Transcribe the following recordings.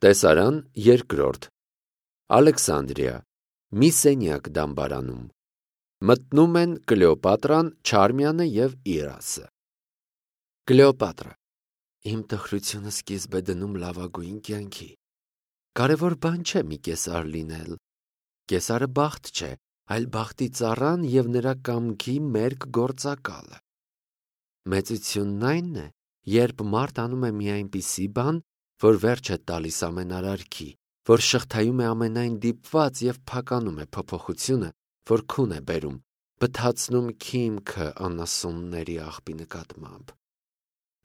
Տեսարան երկրորդ Ալեքսանդրիա մի սենյակ դամբարանում մտնում են Կլեոպատրան, Չարմյանը և Իրասը։ Կլեոպատրա. Իմ տխրությունը սկիզբ է դնում լավագույն կյանքի։ Կարևոր բան չէ մի կեսար լինել։ Կեսարը բախտ չէ, այլ բախտի ծառան և նրա կամքի մերկ գործակալը։ Մեծությունն այն է, երբ մարդ անում է մի այնպիսի բան, որ վերջ է տալիս ամեն արարքի, որ շղթայում է ամենայն դիպված և փականում է փոփոխությունը, որ քուն է բերում, բթացնում քիմքը անասունների աղբի նկատմամբ։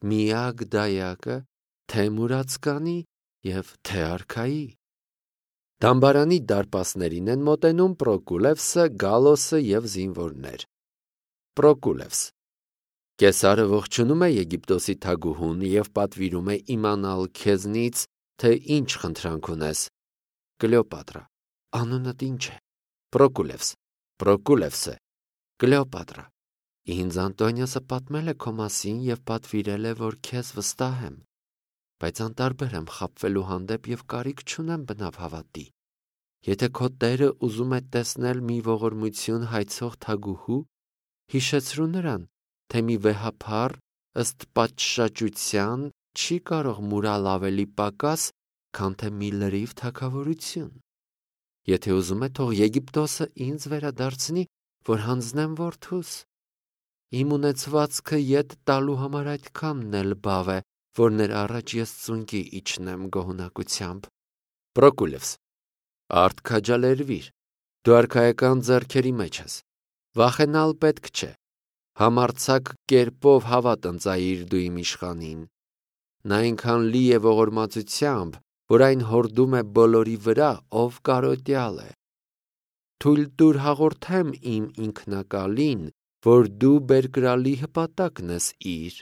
Միակ դայակը թե մուրացկանի և թե արքայի։ Դամբարանի դարպասներին են մոտենում Պրոկուլևսը, Գալոսը և զինվորներ։ Պրոկուլևս. Կեսարը ողջունում է Եգիպտոսի թագուհուն և պատվիրում է իմանալ քեզնից, թե ինչ խնդրանք ունես։ Կլեոպատրա. Անունդ ինչ է։ Պրոկուլևս. Պրոկուլևսը։ Կլեոպատրա. Ինձ Անտոնիոսը պատմել է քո մասին և պատվիրել է, որ քեզ վստահեմ, բայց անտարբեր եմ խաբվելու հանդեպ և կարիք չունեմ բնավ հավատի։ Եթե քո տերը ուզում է տեսնել մի ողորմություն հայցող թագուհու, հիշեցրու նրան, թե մի վեհափառ ըստ պատշաճության չի կարող մուրալ ավելի պակաս, քան թե մի լրիվ թագավորություն։ Եթե ուզում է, թող Եգիպտոսը ինձ վերադարձնի, որ հանձնեմ որդուս։ Իմ ունեցվածքը ետ տալու համար այդքանն էլ բավ է, որ նրա առաջ ես ծունկի իջնեմ գոհունակությամբ։ Պրոկուլևս. Արդ քաջալերվիր, դու արքայական ձեռքերի մեջ ես, վախենալ պետք չէ, համարձակ կերպով հավատ ընծայիր դու իմ իշխանին, նա այնքան լի է ողորմածությամբ, որ այն հորդում է բոլորի վրա, ով կարոտյալ է։ Թույլ տուր հաղորդեմ իմ ինքնակալին, որ դու բերկրալի հպատակն ես իր։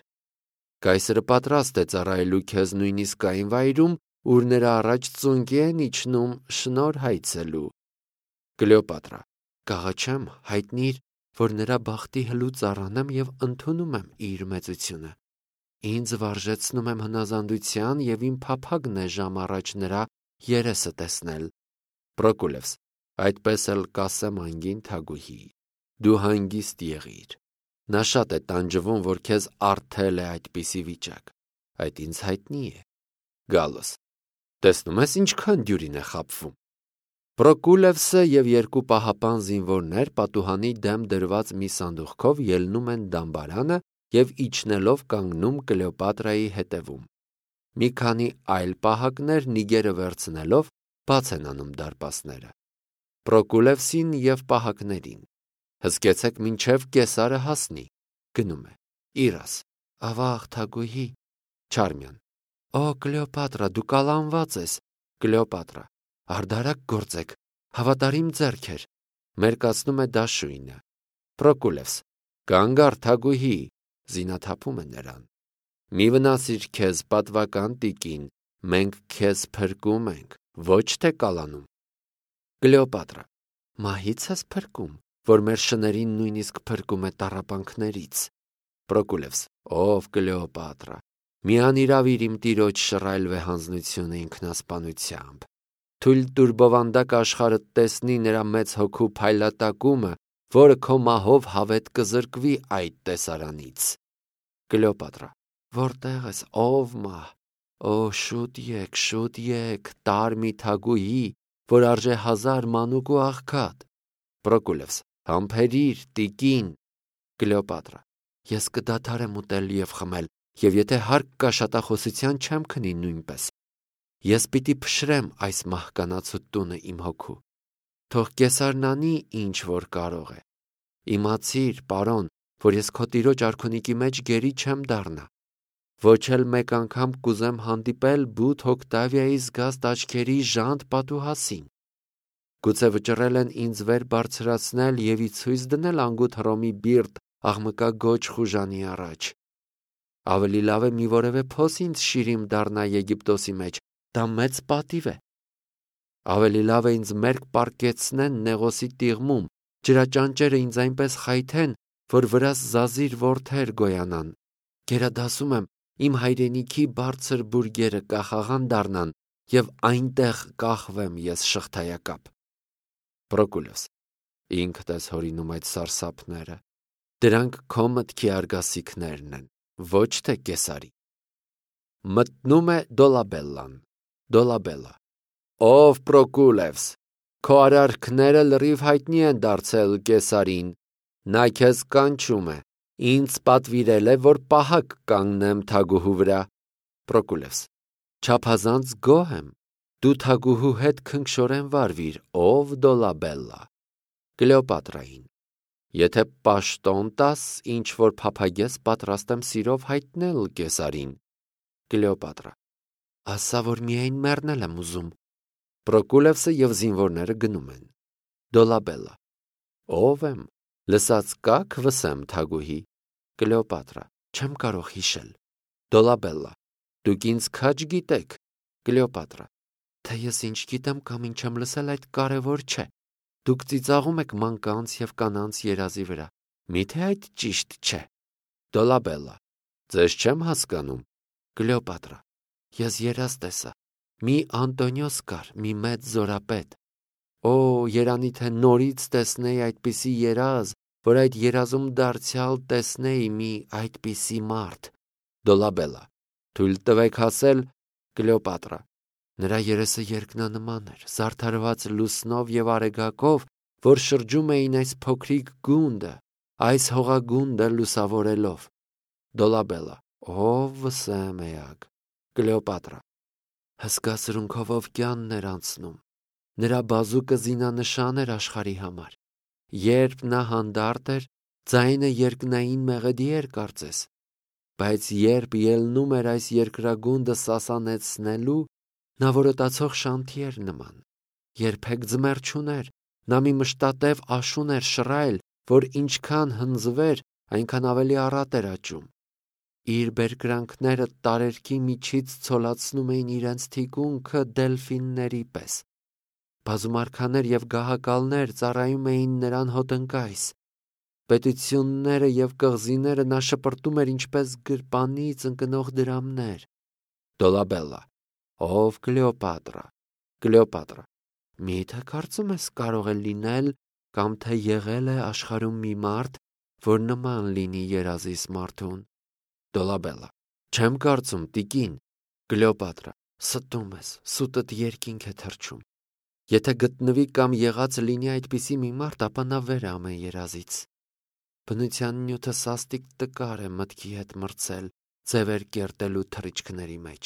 Կայսրը պատրաստ է ծառայելու քեզ նույնիսկ այն վայրում, ուր նրա առաջ ծունկի են իջնում շնորհ հայցելու։ Կլեոպատրա. Կաղաչեմ, հայտնիր, որ նրա բախտի հլու ծառան եմ և ընդունում եմ իր մեծությունը։ Ինձ վարժեցնում եմ հնազանդության և իմ փափագն է ժամ առաջ նրա երեսը տեսնել։ Պրոկուլևս. Այդպես էլ կասեմ անգին թագուհի, դու հանգիստ եղիր։ Նա շատ է տանջվում, որ քեզ առթել է այդպիսի վիճակ, այդ ինձ հայտնի է։ Գալոս. Տեսնում ես ինչքան դյուրին է խաբվում։ Պրոկուլևսը և երկու պահապան զինվորներ պատուհանի դեմ դրված մի սանդուղքով ելնում են դամբարանը և իջնելով կանգնում Կլեոպատրայի հետևում։ Մի քանի այլ պահակներ նիգերը վերցնելով բաց են անում դարպասները։ Պրոկուլևսին և պահակներին. Հզկեցեք մինչև կեսարը հասնի։ Գնում է։ Իրաս. Ավաղ թագուհի։ Չարմյան. Օ Կլեոպատրա, դու կալանված ես։ Կլեոպատրա. Արդարակ գործեք, հավատարիմ ձեռքեր։ Մերկացնում է դաշույնը։ Պրոկուլևս. Կանգ առ թագուհի, զինաթափում է նրան։ Մի վնասիր քեզ, պատվական տիկին, մենք քեզ փրկում ենք, ոչ թե կալանում։ Կլեոպատրա. Մահից ես փրկում, որ մեր շներին նույնիսկ փրկում է տառապանքներից։ Պրոկուլևս. Ով Կլեոպատրա, մի անիրավիր իմ տիրոջ շռայլ վեհանձնությունը ինքնասպանությամբ։ Թույլ տուր բովանդակ աշխարհը տեսնի նրա մեծ հոգու փայլատակումը, որը քո մահով հավետ կզրկվի այդ տեսարանից։ Կլեոպատրա. Որտեղ ես, ով մահ։ Օ, շուտ եկ, տար մի թագուհի, որ արժե 1000 մանուկ ու աղքատ։ Պրոկուլևս. Համբերիր, տիկին։ Կլեոպատրա. Ես կդադարեմ ուտել և խմել, և եթե հարկ կա շատախոսության չեմ քնի նույնպես։ Ես պիտի փշրեմ այս մահկանացու տունը իմ հոգու։ Թող կեսարն անի, ինչ որ կարող է։ Իմացիր, պարոն, որ ես քո տիրոջ արքունիքի մեջ գերի չեմ դառնա։ Ոչ էլ մեկ անգամ կուզեմ հանդիպել բութ Օկտավիայի զգաստ աչքերի ժանտ պատուհասին։ Գուցե վճռել են ինձ վեր բարձրացնել և ի ցույց դնել անգութ Հռոմի բիրտ աղմկա գոչ խուժանի առաջ։ Ավելի լավ է մի որևէ փոս ինձ շիրիմ դառնա Եգիպտոսի մեջ, դա մեծ պատիվ է։ Ավելի լավ է ինձ մերկ պառկեցնեն Նեղոսի տիղմում, ջրաճանճերը ինձ այնպես խայթեն, որ վրաս զազիր որդեր գոյանան։ Գերադասում եմ, իմ հայրենիքի բարձր բուրգերը կախաղան դառնան, և այնտեղ կախվեմ ես շղթայակապ։ Պրոկուլոս. Ինքդ ես հորինում այդ սարսափները, դրանք քո մտքի արգասիքներն են, ոչ թե Կեսարի։ Մտնում է Դոլաբելլան։ Դոլաբելլա. Ով Պրոկուլևս, քո արարքները լրիվ հայտնի են դարձել Կեսարին, նա քեզ կանչում է, ինձ պատվիրել է, որ պահակ կանգնեմ թագուհու վրա։ Պրոկուլևս. Չափազանց գոհ եմ, դու թագուհու հետ քնքշորեն վարվիր, ով Դոլաբելլա։ Կլեոպատրային. Եթե պաշտոն տաս, ինչ որ փափագես պատրաստ եմ սիրով հայտնել Կեսարին։ Կլեոպատրա. ասա, որ միայն մեռնել եմ ուզում։ Պրոկուլևսը և զինվորները գնում են։ Դոլաբելլա. ով եմ, լսած կաք վսեմ թագուհի։ Կլեոպատրա. չեմ կարող հիշել։ Դոլաբելլա. դուք ինձ քաջ գիտեք։ Կլեոպատրա. թե ես ինչ գիտեմ կամ ինչ եմ լսել, այդ կարևոր չէ։ Դուք ծիծաղում եք մանկանց և կանանց երազի վրա, միթե այդ ճիշտ չէ։ Դոլաբելլա. ձեզ չեմ հասկանում։ Կլեոպատրա. ես երազ տեսա, մի Անտոնիոս կար, մի մեծ զորապետ։ Օ, երանի թե նորից տեսնեի այդպիսի երազ, որ այդ երազում դարձյալ տեսնեի մի այդպիսի մարդ։ Դոլաբելլա. թույլ տվեք հասել։ Կլեոպատրա. նրա երեսը երկնանման էր, զարդարված լուսնով և արեգակով, որ շրջում էին այս փոքրիկ գունդը, այս հողագունդը լուսավորելով։ Դոլաբելլա. ով վսեմ էակ։ Կլեոպատրա. հսկա սրունքով օվկիանն էր անցնում, նրա բազուկը զինանշան էր աշխարհի համար։ Երբ նա հանդարտ էր, ձայնը երկնային մեղեդի էր կարծես, բայց երբ ելնում էր այս երկրագունդը սասանեցնելու, նա որոտացող շանթի էր նման, երբեք ձմեռ չուներ, նա մի մշտատև աշուն էր շռայլ, որ ինչքան հնձվեր, այնքան ավելի առատ էր աճում։ Իր բերկրանքները տարերքի միջից ցոլացնում էին իրենց թիկունքը դելֆինների պես։ Բազումարքաներ և գահակալներ ծառայում էին նրան հոտնկայս։ Պետությունները և կղզիները նա շպրտում էր ինչպես գրպանից ընկնող դրամներ։ Դոլաբելլա. ով Կլեոպատրա։ Կլեոպատրա. միթե կարծում ես կարող է լինել կամ թե եղել է աշխարհում մի մարդ, որ նման լինի երազիս մարդուն։ Դոլաբելլա. չեմ կարծում, տիկին։ Կլեոպատրա. ստում ես, սուտդ երկինք է թռչում։ Եթե գտնվի կամ եղած լինի այդպիսի մի մարդ, ապա նա վեր է ամեն երազից։ Բնության նյութը սաստիկ տկար է մտքի հետ մրցել, ձևեր կերտելու թռիչքների մեջ։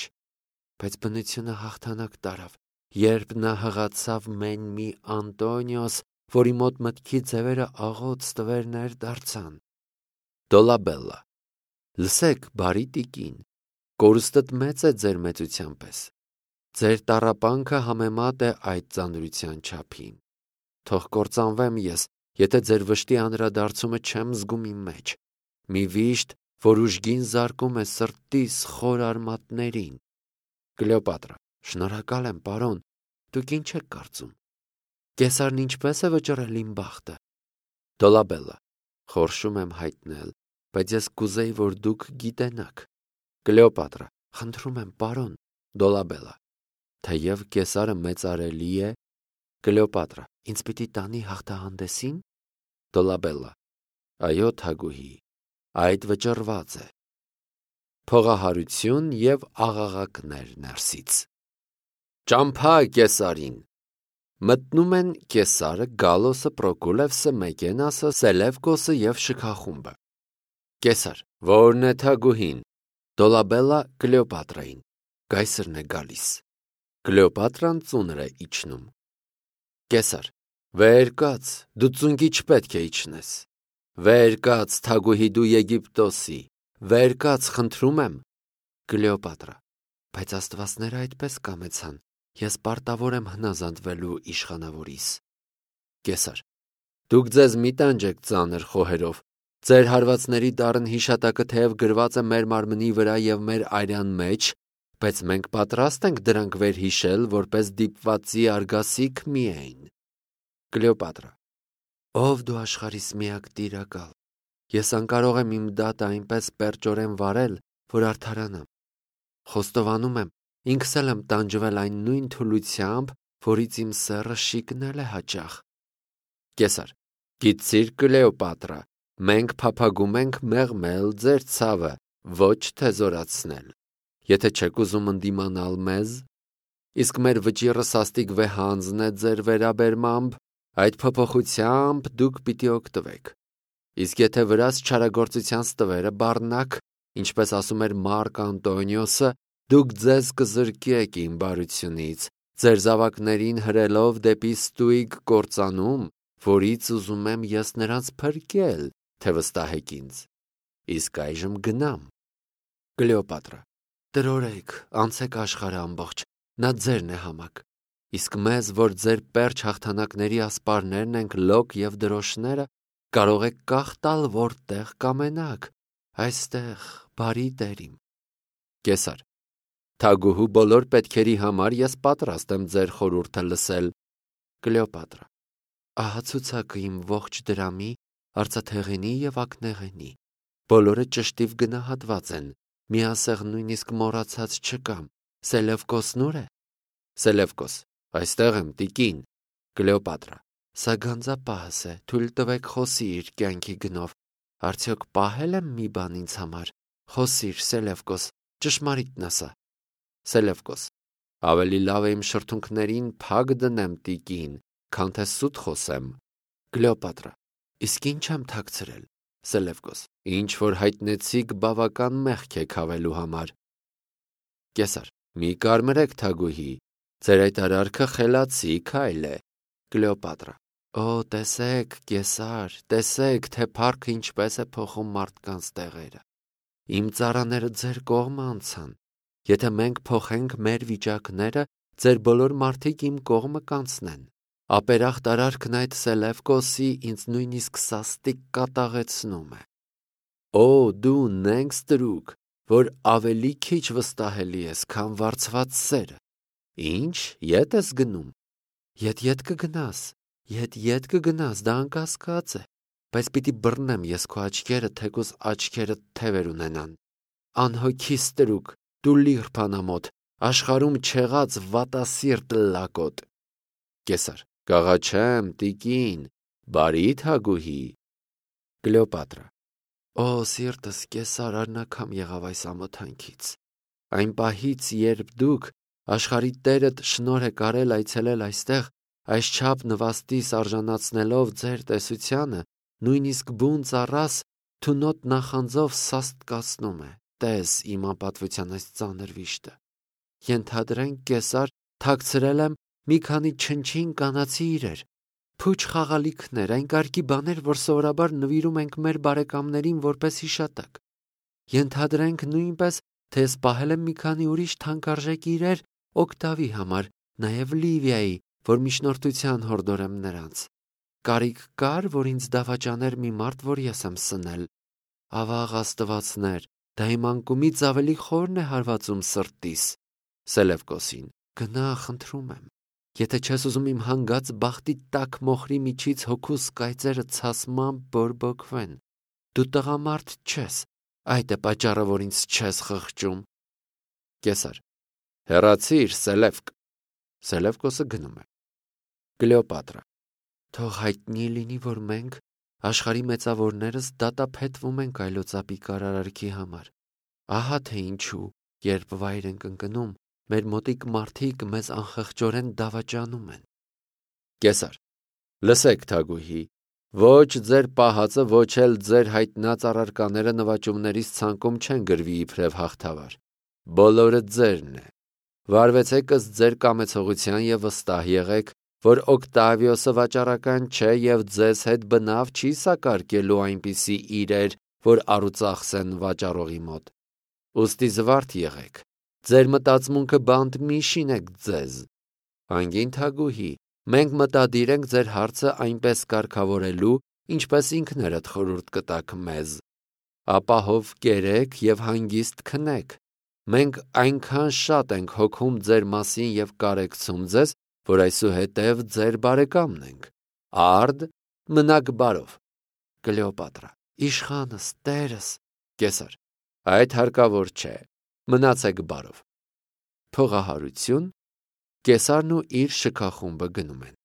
Բայց բնությունը հաղթանակ տարավ, երբ նա հղացավ մեն մի Անտոնիոս, որի մոտ մտքի ձևերը աղոտ ստվերներ դարձան։ Դոլաբելլա. լսեք, բարի տիկին, կորուստդ մեծ է ձեր մեծության պես։ Ձեր տառապանքը համեմատ է այդ ծանրության չափին։ Թող կործանվեմ ես, եթե ձեր վշտի անդրադարձումը չեմ զգում իմ մեջ։ Մի վիշտ, որ ուժգին զարկում է սրտիս խոր արմատներին։ Կլեոպատրա. շնորհակալ եմ, պարոն, դուք ինչ եք կարծում։ Կեսարն ինչպես է վճռել իմ բախտը։ Դոլաբելլա. խորշում եմ հայտնել, բայց ես կուզեի, որ դուք գիտենաք։ Կլեոպատրա. խնդրում եմ, պարոն։ Դոլաբելլա. թեև Կեսարը մեծարելի է։ Կլեոպատրա. ինձ պիտի տանի հաղթահանդեսին։ Դոլաբելլա. այո, թագուհի, այդ վճռված է։ Փողահարություն և աղաղակներ ներսից։ Ճամփա Կեսարին։ Մտնում են Կեսարը, Գալոսը, Պրոկուլևսը, Մեգենասը, Սելևկոսը և շքախումբը։ Կեսար. որն է թագուհին։ Դոլաբելլա Կլեոպատրային. կայսրն է գալիս։ Կլեոպատրան ծունր է իջնում։ Կեսար. վեր կաց, դու ծունկի չպետք է իջնես։ Վեր կաց, թագուհի դու Եգիպտոսի, վեր կաց, խնդրում եմ։ Կլեոպատրա. բայց աստվածները այդպես կամեցան, ես պարտավոր եմ հնազանդվելու իշխանավորիս։ Կեսար. դուք ձեզ մի տանջեք ծանր խոհերով, ձեր հարվածների դառն հիշատակը թեև գրված է մեր մարմնի վրա և մեր արյան մեջ, բայց մենք պատրաստ ենք դրանք վերհիշել, որպես դիպվածի արգասիք միայն։ Կլեոպատրա. ով դու աշխարհիս միակ տիրակալ, ես անկարող եմ իմ դատը այնպես պերճորեն վարել, որ արդարանամ։ Խոստովանում եմ, Ինքս էլ եմ տանջվել այն նույն թուլությամբ, որից իմ սեռը շիկնել է հաճախ։ Կեսար. Գիտցիր Կլեոպատրա, մենք փափագում ենք մեղմել ձեր ցավը, ոչ թե զորացնել։ Եթե չեք ուզում ընդդիմանալ մեզ, իսկ մեր վճիռը սաստիկ վեհանձն է ձեր վերաբերմամբ, այդ փոփոխությամբ դուք պիտի օգտվեք։ Իսկ եթե վրաց չարագործության ստվերը բառնաք, ինչպես ասում էր Մարկ Անտոնիոսը, դուք ձեզ կզրկեք իմ բարությունից, ձեր զավակներին հրելով դեպի ստույգ կործանում, որից ուզում եմ ես նրանց փրկել, թե վստահեք ինձ։ Իսկ այժմ գնամ։ Կլեոպատրա. Տրորեք, անցեք աշխարհը ամբողջ, նա ձերն է համակ։ Իսկ մեզ, որ ձեր պերճ հաղթանակների ասպարներն ենք լոկ և դրոշները, կարող եք կախ տալ որտեղ կամենաք, այստեղ բարի տերիմ։ Կեսար. Թագուհու բոլոր պետքերի համար ես պատրաստ եմ ձեր խորհուրդը լսել։ Կլեոպատրա. Ահա ցուցակը իմ ողջ դրամի, արծաթեղենի և ակնեղենի։ Բոլորը ճշտիվ գնահատված են, միասեղ նույնիսկ մոռացած չկամ։ Սելևկոսն ուր է։ Սելևկոս. այստեղ եմ, տիկին։ Կլեոպատրա. Սա գանձապահս է, թույլ տվեք խոսի իր կյանքի գնով։ Արդյոք պահել եմ մի բան ինձ համար։ Խոսիր, Սելևկոս, ճշմարիտն ասա։ Սելևկոս. ավելի լավ է իմ շրթունքներին փակ դնեմ, տիկին, քան թե սուտ խոսեմ։ Կլեոպատրա. իսկ ինչ եմ թաքցրել։ Սելևկոս. ինչ որ հայտնեցիք բավական մեղք եք հավելու համար։ Կեսար. մի կարմրեք, թագուհի, ձեր այդ արարքը խելացի քայլ է։ Կլեոպատրա. Օ, տեսեք, Կեսար, տեսեք, թե փառքը ինչպես է փոխում մարդկանց տեղերը։ Իմ ծառաները ձեր կողմը անցան։ Եթե մենք փոխենք մեր վիճակները, ձեր բոլոր մարդիկ իմ կողմը կանցնեն։ Ապերախտ արարքն այդ Սելևկոսի ինձ նույնիսկ սաստիկ կատաղեցնում է։ Օ, դու նենգ ստրուկ, որ ավելի քիչ վստահելի ես, քան վարձված սերը։ Ինչ, ետ ես գնում։ Ետ կգնաս, դա անկասկած է, բայց պիտի բռնեմ ես քո աչքերը, թեկուզ աչքերը թևեր ունենան։ Անհոգի ստրուկ, դու լիռբանամոթ, աշխարհում չեղած վատասիրտ լակոտ։ Կեսար. Կաղաչեմ, տիկին, բարի թագուհի։ Կլեոպատրա. Օ, սիրտս, Կեսար, արնաքամ եղավ այս ամոթանքից։ Այն պահից, երբ դուք աշխարհի տերդ շնորհ եք արել այցելել այստեղ, այսչափ նվաստիս արժանացնելով ձեր տեսությանը, նույնիսկ բուն ծառաս թունոտ նախանձով սաստկացնում է։ Տես իմ անպատվության այս ծանր վիշտը։ Ենթադրենք, Կեսար, թաքցրել եմ մի քանի չնչին կանացի իրեր, փուչ խաղալիքներ, այն կարգի բաներ, որ սովորաբար նվիրում ենք մեր բարեկամներին որպես հիշատակ։ Ենթադրենք նույնպես, թե ես պահել եմ մի քանի ուրիշ թանկարժեք իրեր Օկտավի համար, նաև Լիվիայի, որ միջնորդության հորդորեմ նրանց։ Կարիք կար, որ ինձ դավաճաներ մի մարդ, որ ես եմ սնել։ Ավաղ աստվածներ, դա իմ անկումից ավելի խորն է հարվածում սրտիս։ Սելևկոսին. Գնա, խնդրում եմ։ Եթե չես ուզում իմ հանգած բախտի տաք մոխրի միջից հոգուս կայծերը ցասմամբ բորբոքվեն։ Դու տղամարդ չես, այդ է պատճառը, որ ինձ չես խղճում։ Կեսար. Հեռացիր, Սելևկ։ Սելևկոսը գնում է։ Կլեոպատրա. Թող հայտնի լինի, որ մենք, աշխարհի մեծավորներս, դատապետվում ենք այլոծապի կարարարքի համար։ Ահա թե ինչու, երբ վայր ենք ընկնում, մեր մոտիկ մարդիկ մեզ անխղճորեն դավաճանում են։ Կեսար. Լսեք, թագուհի, ոչ ձեր պահածը, ոչ էլ ձեր հայտնած առարկաները նվաճումներից ցանկում չեն գրվի իբրև հաղթավար։ Բոլորը ձերն է։ Վարվեցեք ըստ ձեր կամեցողության և վստահ եղեք, որ Օկտավիոսը վաճառական չէ և ձեզ հետ բնավ չի սակարկելու այնպիսի իրեր, որ առուծախսեն վաճառողի մոտ։ Ուստի զվարթ եղեք, ձեր մտածմունքը բանտ մի շինեք ձեզ։ Անգին թագուհի, մենք մտադիր ենք ձեր հարցը այնպես կարգավորելու, ինչպես ինքներդ խորհուրդ կտաք մեզ։ Ապահով կերեք և հանգիստ քնեք։ Մենք այնքան շատ ենք հոգում ձեր մասին և կարեկցում ձեզ, որ այսուհետև ձեր բարեկամն ենք։ Արդ, մնաք բարով։ Կլեոպատրա. Իշխանս, տերս։ Կեսար. այդ հարկավոր չէ, մնացեք բարով։ Փողահարություն, Կեսարն ու իր շքախումբը գնում են։